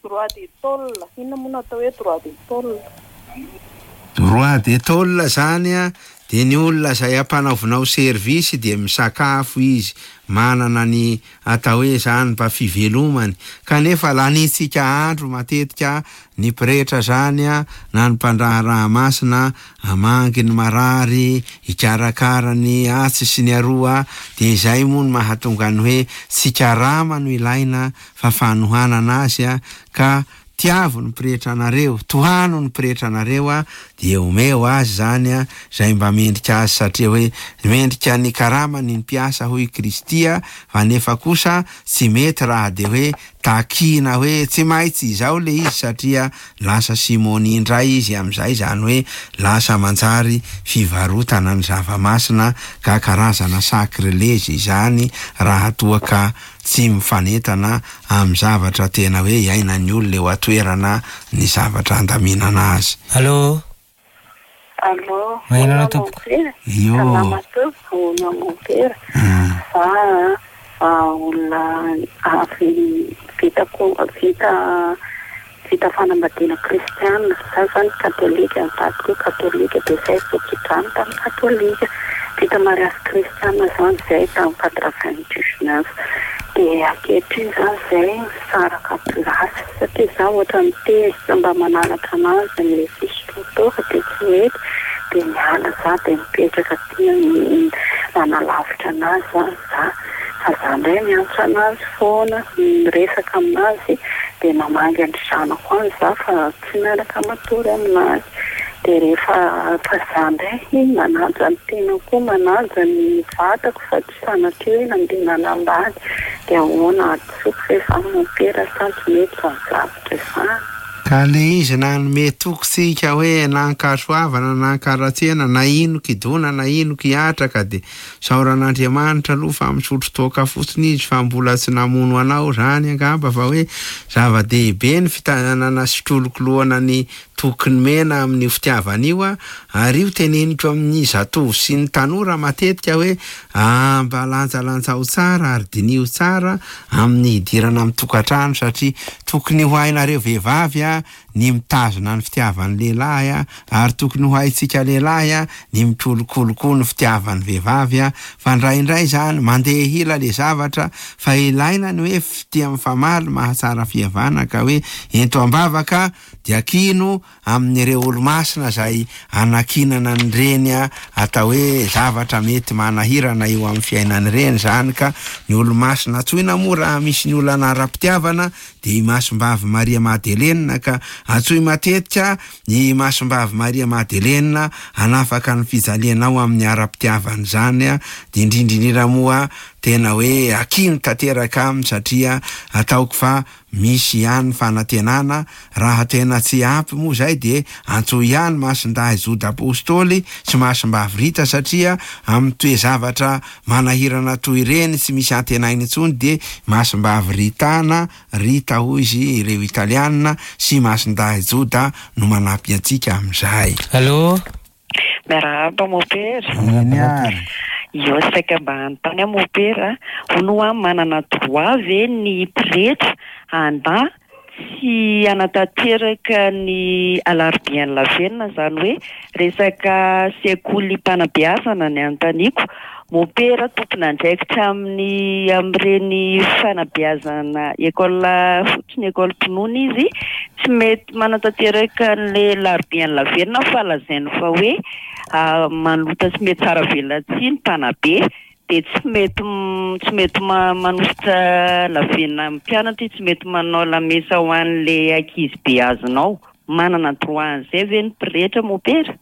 Droit de tôle. Inona moa no atao hoe droit de tôle? Droit de tôle zany a, dia ny olona izay ampanaovinao service dia misakafo izy, manana ny atao hoe zany mba fivelomany, kanefa lanitsika andro matetika ny pretra zany a, na ny mpandraharaha masina amangy ny marary, hikarakara ny atsy sy ny aroa, dia izay moa no mahatonga ny hoe tsy karama no ilaina fa fanohanana azy a, ka tiavo ny pretra anareo, tohano ny pretra anareo a, dia omeo azy zany a, izay mba mendrika azy, satria hoe mendrika ny karamany ny mpiasa hoy Kristy a, fa nefa kosa tsy mety raha dia hoe takina hoe tsy maintsy izao le izy, satria lasa simony indray izy amin'izay, zany hoe lasa manjary fivarotana ny zava-masina ka karazana sakrilezy izany raha toa ka tsy mifanentana amin'ny zavatra tena hoe iainan'ny olona eo an-toerana ny zavatra andaminana azy. Allô? Allô? Maheno anao tompoko? Io. Salama tompoko, ono mompera. Ah. Fa, ah, olona avy Vita ko vita vita fanambadiana kristiana. Za zany katolika, ny vadiko katolika, dia zay voatsodrano tamin'ny katolika. Vita mariazy kristiana zany zay tamin'ny quatre-vingt-dix-neuf. Dia ankehitriny zany zay misaraka plasy satria za ohatra mitezitra mba mananatra anazy ny fisotroan-toaka dia tsy mety, dia miala za dia mipetraka aty manalavitra anazy zany za. Fa za indray miantso anazy foana, miresaka aminazy, dia mamangy ny zanako any za fa tsy miaraka matory aminazy. Dia rehefa fa za indray manaja ny tenako koa, manaja ny vatako fa tsy sanatria hoe nandeha nanambady. Dia ahoana hadisoako ve za mompera sa tsy mety izany zavatra izany? Ka le izy nanome toky tsika hoe na ankasoavana na ankaratsiana na ino kidona na ino kiatra, ka de saoran'Andriamanitra aloha fa misotro toaka fotsiny izy fa mbola tsy namono anao zany angamba, fa hoe zava-dehibe ny fitanana sy fikolokoloana ny toky nomena amin'io fitiavana io a. Ary io teneniko amin'ny zatovo sy ny tanora matetika hoe ah, mba lanjalanjao tsara ary diniho tsara amin'ny hidirana amin'ny tokantrano, satria tokony ho hainareo vehivavy a ny mitazona ny fitiavan'ny lehilahy a, ary tokony ho haintsika lehilahy a ny mikolokolo koa ny fitiavan'ny vehivavy a. Fa indraindray zany mandeha hila le zavatra, fa ilaina ny hoe fitia mifamaly mahatsara fihavana, ka hoe ento am-bavaka dia kino amin'ireo olo-masina zay anakinana an'ireny a atao hoe zavatra mety manahirana eo amin'ny fiainan'ireny zany. Ka ny olo-masina antsoina moa raha misy ny olana ara-pitiavana dia i Masimbavy Maria Madelenina, ka antsoy matetika i Masimbavy Maria Madelenina hanafaka ny fijalianao amin'ny ara-pitiavana zany a. Dia indrindra indrindra moa tena hoe akino tanteraka aminy, satria ataoko fa misy ihany fanantenana. Raha tena tsy ampy moa zay dia antsoy ihany Masindahy Joda Apôstôly sy Masimbavy Rita, satria amin'ny toe-zavatra manahirana toy ireny tsy misy antenaina intsony dia Masimbavy Rita na Rita hoy izy ireo Italianina sy Masindahy Joda no manampy antsika amin'izay. Allô? Miarahaba mompera. Eny ary. Io saika mba hanontany aho mompera, hono hoa manana droit ve ny pretra handà tsy hanatanteraka ny alarobian'ny lavenona, izany hoe resaka sekoly mpanabeazana ny anontaniako. Mompera tompon'andraikitra amin'ny amin'ireny fanabeazana école fotsiny, école mpinoana izy, tsy mety manatanteraka an'ilay larobian'ny lavenona fa lazainy fa hoe manota tsy mety tsara velatsihy ny mpanabe, dia tsy mety tsy mety manositra lavenona amin'ny mpianatra izy, tsy mety manao lamesa ho an'ilay ankizy be azonao. Manana droit an'izay ve ny pretra mompera?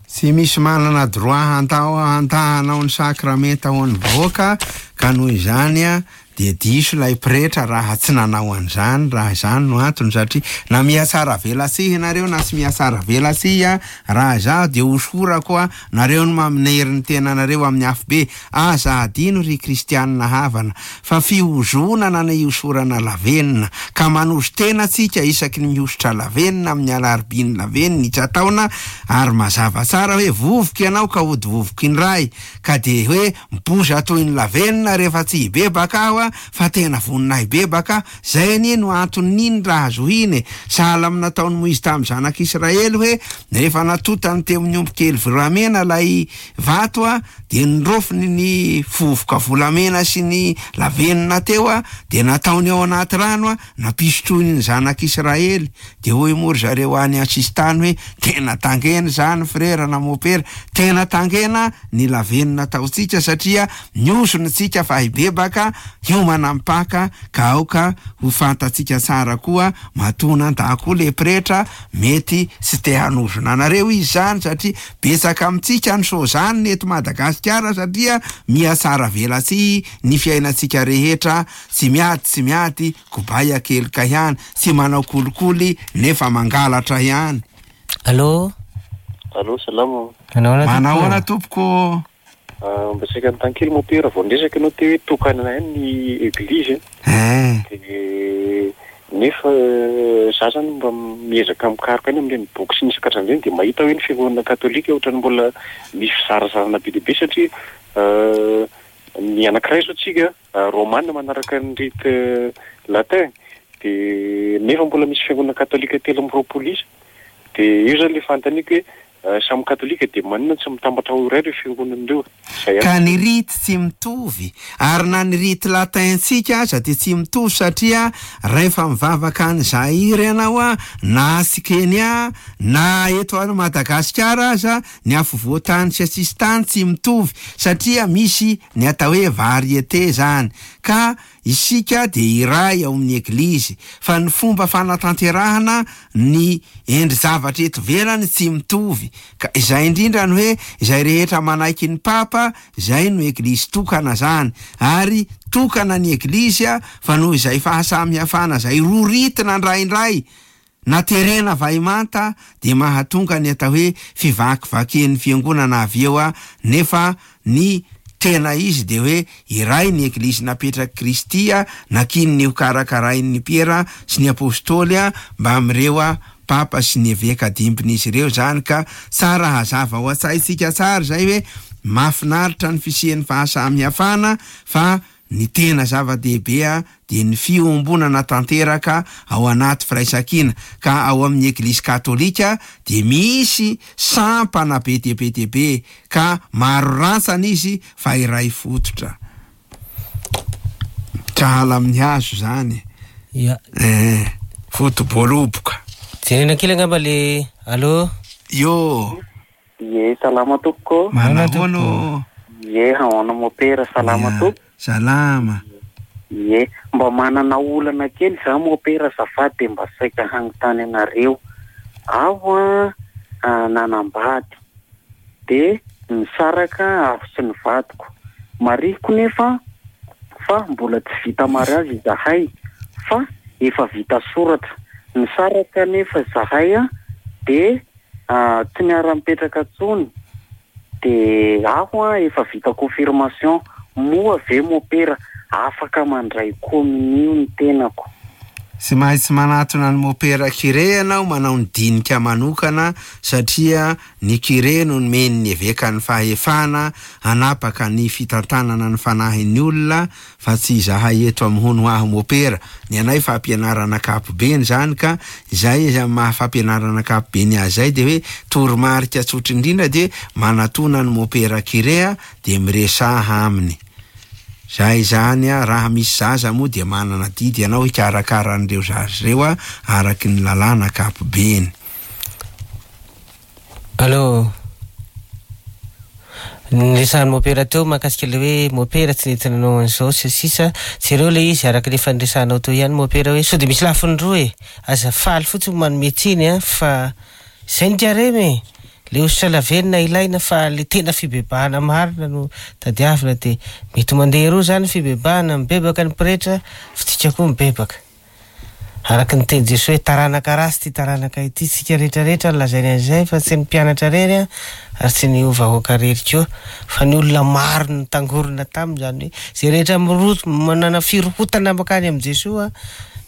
Tsy misy manana droit handao handahanao ny sakramenta ho an'ny vahoaka, ka noho izany a dia diso ilay pretra raha tsy nanao an'izany, raha izany no antony, satria na mihatsara velatsihy nareo na tsy mihatsara velatsihy a, raha izaho dia hosorako a nareo no maminery ny tenanareo amin'ny afobe. Aza adino ry kristianina havana fa fihozonana ny hosorana lavenona, ka manozo tena tsika isaky ny mihosotra lavenona amin'ny alarobiny lavenona isan-taona, ary mazava tsara hoe vovoka ianao ka hody vovoka indray, ka dia hoe mipoza toy ny lavenona rehefa tsy hibebaka aho a, fa tena vonona hibebaka. Zay anie no anton'iny raha zohiny e. Sahala amin'ny nataon'i Moizy tamin'ny zanak'Israely hoe rehefa natotany teo amin'ny omby kely volamena ilay vato a, dia nirofiny ny vovoka volamena sy ny lavenona teo a, dia nataony ao anaty rano a, nampisotroiny ny zanak'Israely. Dia hoy moa ry zareo any an-tsisintany hoe tena tangena izany frera na mopera, tena tangena ny lavenona ataontsika, satria niozona tsika fa hibebaka, hiomana mipaka, ka aoka ho fantatsika tsara koa matoa nandà koa le pretra, mety tsy te hanozona anareo izy zany, satria betsaka amintsika ny sozany eto Madagasikara, satria mihatsara velatsihy ny fiainantsika rehetra, tsy miady tsy miady, kobay akelika ihany, tsy manao kolikoly nefa mangalatra ihany. Allô? Allô, salama. Manao ahoana tompoko? Mba saika anontany kely mompera, vao niresaka ianao teo hoe tokana ihany ny église. Eh. Dia nefa za zany mba miezaka mikaroka any amin'ireny boky sy ny isan-karazany ireny, dia mahita hoe ny fiangonana katolika ohatran'ny mbola misy fizarazarana be dia be, satria ny anankiray zao tsika romana manaraka ny rite latin, Dia nefa mbola misy fiangonana katolika telo amby roapolo isa. Dia io zany le fanontaniako hoe samy katolika dia maninona tsy mitambatra ho iray ireo fiangonana ireo? Izay Ka ny rite tsy mitovy, ary na ny rite latin-tsika aza dia tsy mitovy satria rehefa mivavaka any Zaire ianao a, na atsy Kenya, na eto any Madagasikara aza, ny afovoan-tany sy asisintany tsy mitovy satria misy ny atao hoe variété zany. Ka isika dia iray ao amin'ny eglizy, fa ny fomba fanatanterahana ny endri-javatra eto ivelany tsy mitovy. Ka izay indrindra ny hoe izay rehetra manaiky ny papa, izay no eglizy tokana zany. Ary tokana ny eglizy a, fa noho izay fahasamihafana izay roritina indraindray na terena vaimanta dia mahatonga ny atao hoe fivakivakian'ny fiangonana avy eo a, nefa ny tena izy dia hoe iray ny eglizy napetrak'i Kristy a, nakininy ho karakarain'ny Piera sy ny apôstôly a, mba amin'ireo a papa sy ny eveka dimbin'izy ireo zany. Ka tsara hazava ao an-tsaintsika tsara izay hoe mahafinaritra ny fisian'ny fahasamihafana, fa ny tena zava-dehibe a dia ny fiombonana tanteraka ao anaty firaisankina. Ka ao amin'ny eglizy katolika dia misy sampana be dia be dia be, ka maro rantsana izy fa iray fototra. Sahala amin'ny hazo zany. Ya. Eh, foto-boaloboka. Jerena kely angamba le allo. Yo. Ye, salama tompoko. Manahoana? Ye, ahoana mopera, salama Ya, tompoko. Salama. Ye, mba manana olana kely za mopera azafady dia mba saika hanontany anareo. Aho a, a, nanambady dia nisaraka aho sy ny vadiko. Marihiko nefa fa mbola tsy vita mariazy izahay fa efa vita soratra. Nisaraka nefa izahay a, dia, a, tsy niara-mipetraka intsony. Dia aho a, efa vita confirmation. Moa ve mopera afaka mandray kominio ny tenako? Tsy maintsy manatona ny mopera curé ianao manao ny dinika manokana, satria ny curé no nomen'ny eveka ny fahefana hanapaka ny fitantanana ny fanahin'ny olona, fa tsy izahay eto amin'ny hono aho mopera. Ny anay fampianarana ankapobeny zany, ka izay izy amin'ny maha fampianarana ankapobeny azy izay dia hoe toromarika tsotra indrindra dia manatona ny mopera curé a, dia miresaha aminy. Zay zany a, raha misy zaza moa dia manana didy ianao hikarakara an'ireo zaza ireo a, araky ny lalàna ankapobeny. Allo. Niresahan'ny mopera teo mahakasika ilay hoe mopera tsy nety nanao an'izao sy sisa. Jereo ilay izy araka ny efa niresahanao teo ihany mopera hoe sao dia misy lafiny roa e. Aza faly fotsiny manome tsiny a, fa izay ny karemy e. Le hosotra lavenona ilaina fa le tena fibebahana marina no tadiavina, dia mety mandeha roa zany fibebahana, mibebaka ny pretra, fa tsika koa mibebaka. Araka ny teny Jesoa hoe taranaka ratsy ty taranaka ity, tsika rehetrarehetra no lazainy an'izay, fa tsy ny mpianatra rery a, ary tsy ny vahoaka rery koa, fa ny olona maro no tangorona taminy. Zany hoe izay rehetra miroto, manana firohotana mankany amin'i Jesoa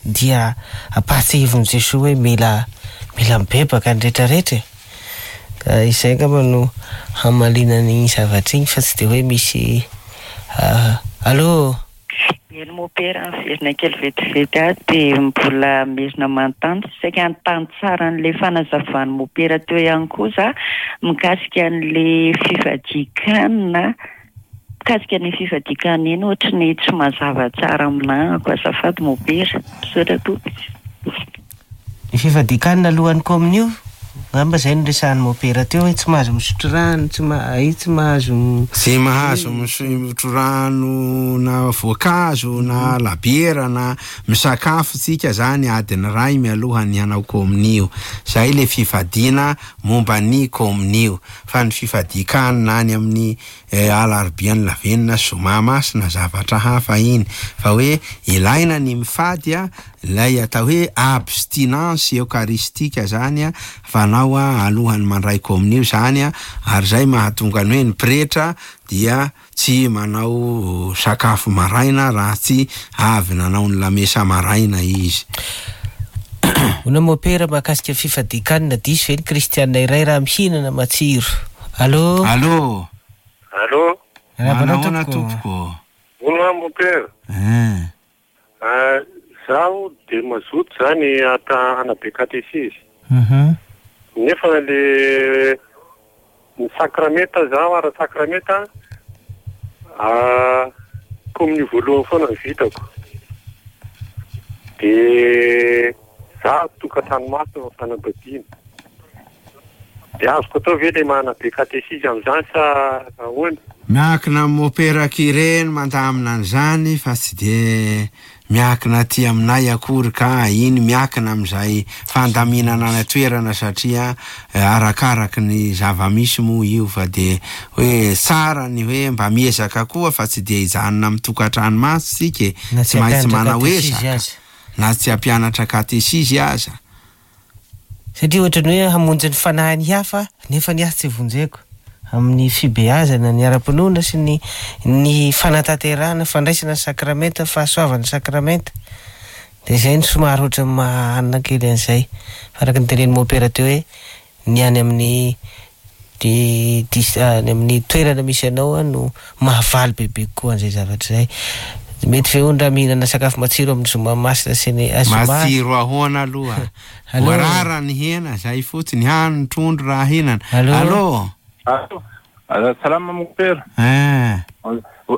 dia ampahatsiahivin'i Jesoa hoe mila, mila mibebaka ny rehetrarehetra e. Ka izay angamba no hamaliana ny zavatra iny, fa tsy dia hoe misy, ah, allo. Eny mopera, miverina kely vetivety aho dia mbola merina manontany, saika hanontany tsara an'ilay fanazavan'ny mopera teo ihany koa za mikasika an'ilay fifadikanina, mikasika ny fifadikanina iny ohatry ny tsy mazava tsara aminahako, azafady mopera, misaotra tompoko. Ny fifadikanina alohan'ny kominio, angamba zay no resahan'ny mopera teo hoe tsy mahazo misotro rano, tsy ma-, ay, tsy mahazo m- Tsy mahazo misotro rano na voankazo na labiera na misakafo tsika zany adiny iray mialohan'ny hanao kominio. Zay le fifadiana momba ny kominio. Fa ny fifadikanina any amin'ny, eh, alarobia ny lavenona zoma masina zavatra hafa iny. Fa hoe ilaina ny mifady a, ilay atao hoe abstinence eucharistique zany a, fanao a alohan'ny mandray kominio zany a, ary zay mahatonga ny hoe ny pretra dia tsy manao sakafo maraina raha tsy avy nanao ny lamesa maraina izy. Ona mopera mahakasika fifadikanina, diso ve ny kristiana iray raha mihinana matsiro? Allo? Allo? Allo? Manahoana tompoko? Ona mopera. Eh. Ah, zaho Dia mazoto zany ata hanabe katesizy. Mhm. Nefa le ny sakramenta zaho ara-sakramenta ah, kominio voalohany foana ny vitako. Dia za tokantrano maso ny fanambadiana. Dia azoko atao ve le manabe katesizy amin'izany sa ahoana? Miankina amin'ny mopera ireny mandamina an'izany fa tsy de miankina aty aminay akory ka iny miankina amin'izay fandaminana any an-toerana satria eh, arakaraky ny zava-misy moa io fa de hoe tsara ny hoe mba miezaka koa fa tsy de hijanona amin'ny tokantrano maso tsika e. Na tsy tsy maintsy hampianatra manao katesizy ezaka aza. na tsy hampianatra katesizy aza. Satria ohatran'ny hoe hamonjy ny fanahiny hafa nefa ny ahy tsy vonjeko amin'ny fibeazana ny ara-pinoana sy ny ny fanatanterahana fandraisana ny sakramenta fahasoavana ny sakramenta de zay no somary ohatran'ny mahanina kely an'izay fa araka ny tenenin'ny mopera teo hoe ny any amin'ny di dis- any amin'ny toerana misy anao a no mahavaly bebe kokoa an'izay zavatra izay. Mety ve hono raha mihinana sakafo matsiro amin'ny zoma masina sy ny ah, zoma Matsiro ahoana aloha? Allô? Voarara ny hena zay fotsiny hany ny trondro raha hinana. Allô? Allô? Allô? Ah, Salama mopera. Eh.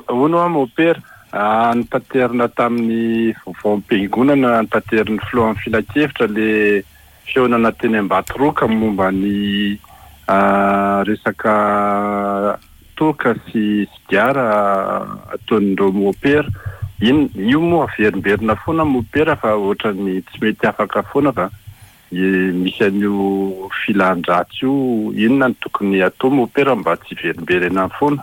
Hono aho mopera. Ah, Nitaterina tamin'ny vaovaom-piangonana ntaterin'ny filohan'ny filankevitra le fihaonana teny Ambatoroka momba ny ah, resaka toaka sy sigara ataon'ireo mopera. Iny io moa averimberina foana mopera fa ohatran'ny tsy mety afaka foana fa e, misy an'io filan-dratsy io. Inona no tokony atao mopera mba tsy hiverimberena foana?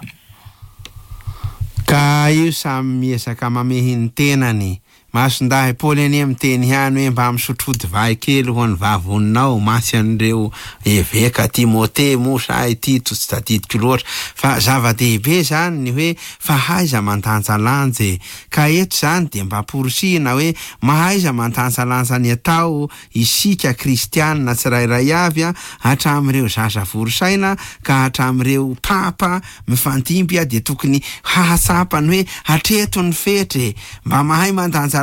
Ka io samy miezaka mamehy ny tenany. Masindahy Paoly anie miteny ihany hoe mba misotro divay kely ho an'ny vavoninao masy an'ireo eveka Timote moa sa i Tito tsy tadidiko loatra fa zava-dehibe zany ny hoe fahaiza mandanjalanja e. Ka eto zany de mba amporisihina hoe mahaiza mandanjalanja ny atao isika kristianina tsirairay avy a hatramin'ireo zaza vory saina ka hatramin'ireo papa mifandimby a de tokony hahatsapa ny hoe hatreto ny fetra e. Mba mahay mandanjalanja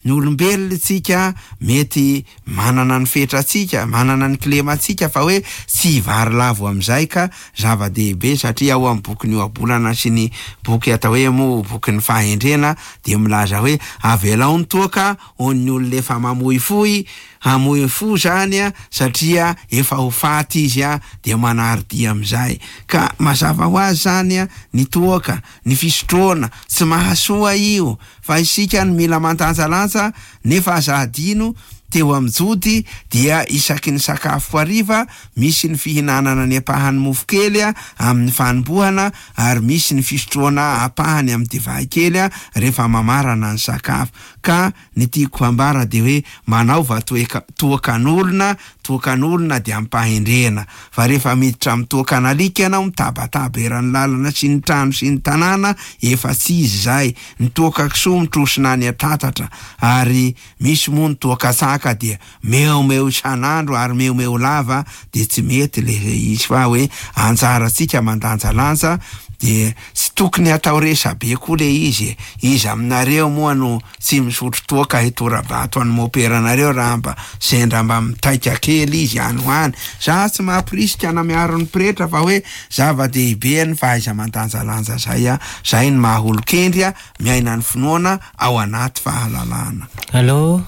ny olombelona tsika mety manana ny fetratsika manana ny kilemantsika fa hoe tsy hivary lavo amin'izay ka zava-dehibe satria ao amin'ny bokin'ny ohabolana sy ny boky atao hoe moa bokin'ny fahendrena de milaza hoe avelao ny toaka ho an'ny olona efa mamoifoy hamoy fo zany a satria efa ho faty izy a de manary dia amin'izay ka mazava ho azy zany a ny toaka ny fisotroana tsy mahasoa io fa isika no mila mandanjalanja nefa aza adino teo amin'ny jody dia isaky ny sakafo hariva misy ny fihinanana ny ampahany mofo kely a amin'ny fanombohana ary misy ny fisotroana ampahany amin'ny divay kely a rehefa mamarana ny sakafo ka ny tiako hambara de hoe manaova toeka- toakan'olona toakan'olona de ampahendrena fa rehefa miditra amin'ny toakan'alika ianao mitabataba eran'ny lalana sy ny trano sy ny tanàna efa tsy izy zay ny toaka kisoa mitrosina any an-tatatra ary misy moa ny toaka tsaka dia meomeo isan'andro ary meomeo lava de tsy mety le izy fa hoe anjarantsika mandanjalanja de tsy tokony atao resabe koa le izy e. Izy aminareo moa no tsy misotro toaka hitora-bato any moperanareo raha mba sendra mba mitaika kely izy any ho any. Za tsy mampirisika na miaro ny pretra fa hoe zava-dehibe ny fahaiza mandanjalanja zay a zay ny maha olon-kendry a miaina ny finoana ao anaty fahalalana. Allô?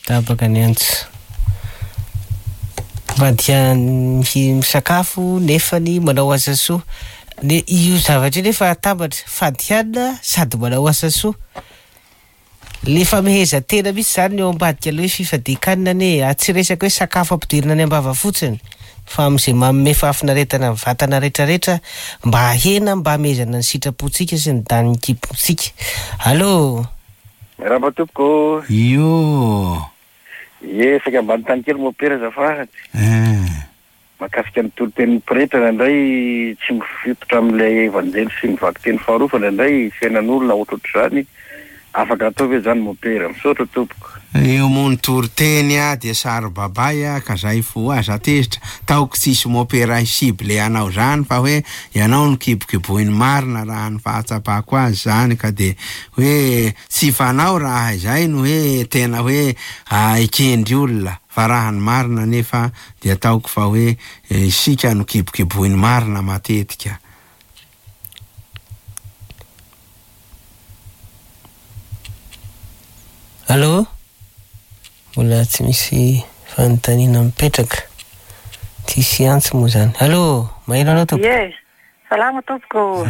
Tapaka ny antso. Mivadika ny misakafo nefany manao asa soa. Ne io zavatra io nefa atambatra fady hanina sady manao asa soa. Le famehezan-tena mihitsy zany ny eo ambadika le hoe fifadian-kanina anie e. Tsy resaka hoe sakafo ampidirina any am-bava fotsiny fa amin'izay manome fahafinaretana ny vatana rehetrarehetra mba hahena mba hamehezana ny sitrapontsika sy ny danin'ny kibontsika. Allô? Miarahaba tompoko. Io. Ie, saika ambany tany kely mopera azafady. Eh. Mahakasika ny toriteny pretra indraindray tsy mifototra amin'ilay evanjely sy ny vakiteny faharoa fa indraindray fiainan'olona ohatrohatr'izany. Afaka atao ve zany mopera? Misaotra tompoko. Io moa ny toriteny a dia saro-babay a ka zay fo aza tezitra. Taoko tsisy mopera cible anao zany fa hoe ianao no kibokiboiny marina raha ny fahatsapako azy zany ka de hoe tsy fanao raha izay no hoe tena hoe ekendry olona fa raha ny marina nefa dia ataoko fa hoe isika no kibokiboiny marina matetika. Allô? Mbola tsy misy fanontaniana mipetraka. Tsisy antso moa zany. Allô, maheno anao tompoko? Ie, salama tompoko.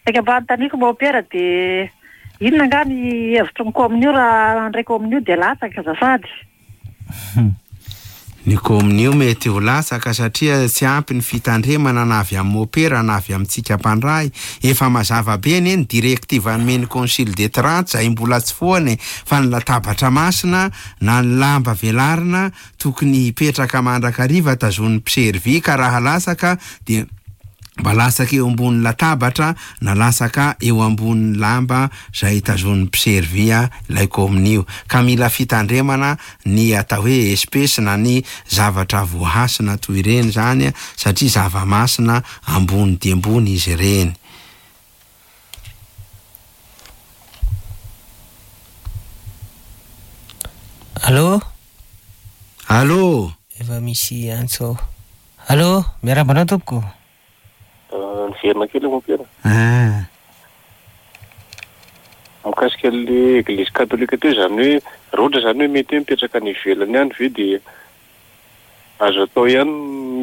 Saika mba anontaniako mopera dia inona angaha ny hevitry ny kominio raha handray kominio dia latsaka azafady? Ny kominio mety ho latsaka satria tsy ampy ny fitandremana na avy amin'ny mopera na avy amintsika mpandray. Efa mazava be anie ny directive nomen'ny Concile de Trente izay mbola tsy foana e, fa ny latabatra masina na ny lamba velarina tokony hipetraka mandrakariva tazonin'ny mpiservy ka raha latsaka dia mba latsaka eo ambonin'ny latabatra na latsaka eo ambonin'ny lamba izay tazonin'ny mpiservy ilay kominio. Ka mila fitandremana ny atao hoe espèce na ny zavatra voahasina toy ireny zany satria zava-masina ambony dia ambony izy ireny. Allô? Allô? Efa misy antso. Allô, miarahaba anao tompoko? Niverina kely mopera. Ah. Mikasika an'le église katolika teo zany hoe raha ohatra zany hoe mety hoe mipetraka any ivelany ihany ve dia azo atao ihany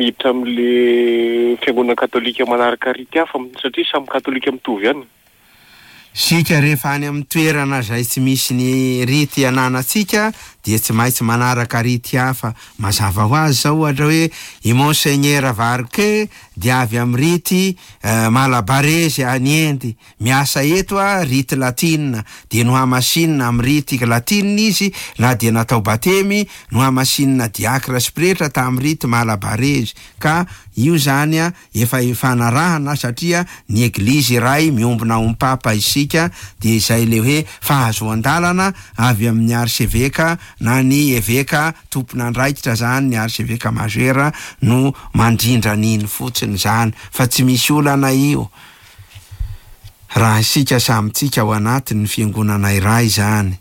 miditra amin'le fiangonana katolika manaraka rity hafa satria samy katolika mitovy ihany. Sika rehefa any amin'ny toerana izay tsy misy ny rity ananantsika dia tsy maintsy manaraka rity hafa. Mazava ho azy zao ohatra hoe i Monseigneur Varke dia avy amin'ny rity malabarezy any Inde, miasa eto a rity latina dia nohamasinina amin'ny rity latina izy na dia natao batemy nohamasinina diakra sy pretra tamin'ny rity malabarezy. Ka io zany a efa ifanarahana satria ny eglizy iray miombona amin'ny papa isika dia izay le hoe fahazoan-dalana avy amin'ny arseveka na ny eveka tompon'andraikitra zany ny arseveka majeur no mandrindra an'iny fotsiny zany fa tsy misy olana io raha isika samytsika ao anatin'ny fiangonana iray zany.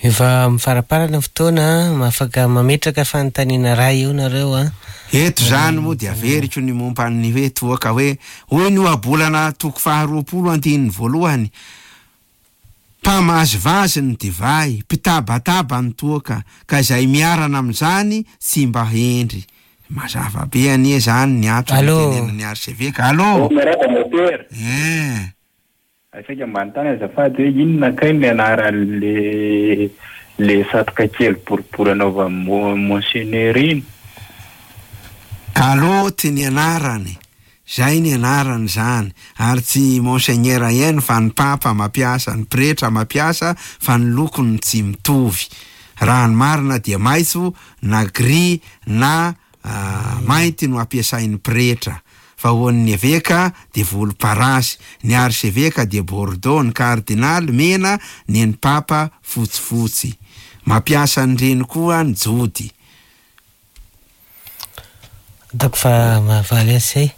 Efa mifaraparana fotoana, afaka mametraka fanontaniana ray eo nareo a. Eto zany moa dia averiko ny momba ny hoe toaka hoe hoy ny ohabolana toko faharoapolo andininy voalohany: mpamazivazy ny divay, mpitabataba ny toaka, ka izay miarana amin'izany tsy mba hendry. Mazava be anie zany ny antony tenenan'ny arseveka. Allô? Miarahaba mopera. Eh. Saika mba anontany azafady hoe inona kay ny anaran'le le satroka kely boribory anaovan'ny monseigneur iny? Kaloty ny anarany. Zay ny anarany zany. Ary tsy monseigneur ihany fa ny papa mampiasa, ny pretra mampiasa, fa ny lokony tsy mitovy. Raha ny marina dia maitso na gris na mainty no ampiasain'ny pretra. Fa ho an'ny eveka dia volomparasy, ny arseveka dia bordeaux, ny kardinaly mena, ny ny papa fotsifotsy. Mampiasa an'ireny koa ny jody. Ataoko fa mahavaly azy zay.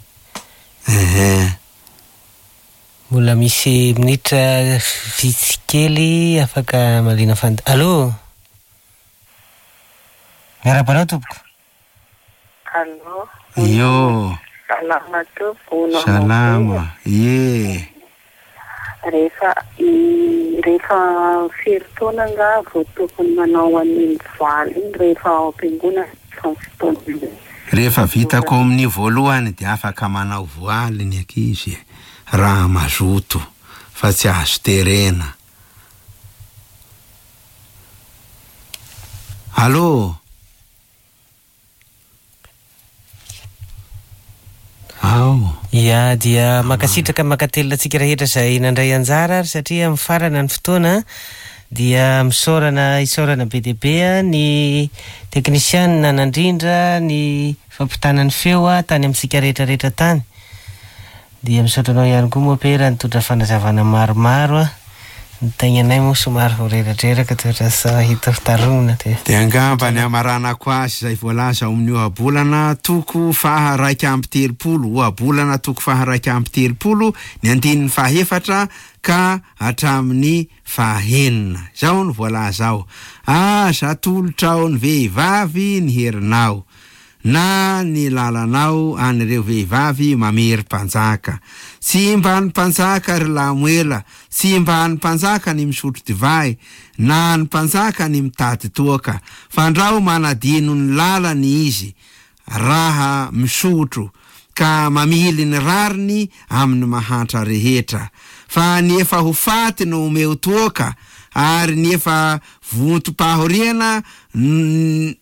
Ehe. Mbola misy minitra vitsy kely afaka malina fanta. Allô? Miarahaba anao tompoko. Allô? Io. Salama tompoko. Salama. Ie. Rehefa rehefa firy taona angaha vao tokony manao an'iny voaly iny rehefa ao am-piangonana fa fotoana. Rehefa vita kominio voalohany dia afaka manao voaly ny ankizy raha mazoto fa tsy azo terena. Allô? Ao. Ia, dia mankasitraka mankatelina antsika rehetra izay nandray anjara ary satria mifarana ny fotoana dia misaorana isaorana be dia be ny teknisianina nandrindra ny fampitana ny feo tany amintsika rehetra rehetra tany. Dia misaotra anao ihany koa mopera nitondra fanazavana maromaro a. Ny tegnanay moa somary ho reradreraka toetra sa hita fitaromina dia. Dia angamba ny hamaranako azy izay voalaza ao amin'ny ohabolana toko faha raika amby telopolo, ohabolana toko faha raika amby telopolo, ny andininy fahefatra ka hatramin'ny fahenina. Izao no voalaza ao: aza atolotrao ny vehivavy ny herinao, na ny lalanao an'ireo vehivavy mamery mpanjaka. Tsy mba ny mpanjaka ry Lamoela, tsy mba ny mpanjaka ny misotro divay, na ny mpanjaka ny mitady toaka, fandrao manadino ny lalany izy raha misotro, ka mamily ny rariny amin'ny mahantra rehetra. Fa ny efa ho faty no omeo toaka, ary ny efa vontom-pahoriana n-,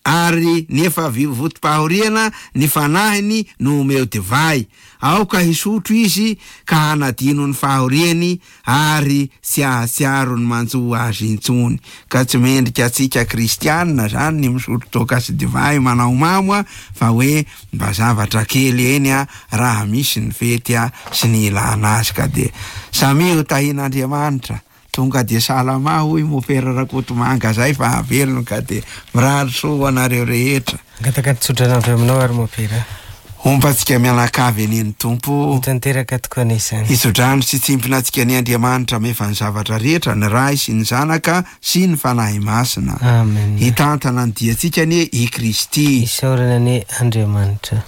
ary ny efa vontom-pahoriana ny fanahiny no omeo divay. Aoka hisotro izy ka hanadino ny fahoriany ary tsy hahatsiaro ny manjo azy intsony. Ka tsy mendrika antsika kristianina zany ny misotro toaka sy divay manao mamo a, fa hoe mba zavatra kely eny a, raha misy ny fety a sy ny ilana azy. Ka dia samia ho tahian'Andriamanitra. Tonga dia salama hoy mopera Rakotomanga zay fa avelony, ka dia mirary soa ho anareo rehetra. Angataka ny tsodrano avy aminao ary mopera. Homba antsika mianakavy anie ny Tompo. Ho tanteraka tokoa anie izany. Hitsodrano sy tsimpona antsika anie Andriamanitra mefa ny zavatra rehetra, ny Ray sy ny Zanaka sy ny Fanahy Masina. Amen. Hitantana ny diantsika anie i Kristy. Isaorana anie Andriamanitra.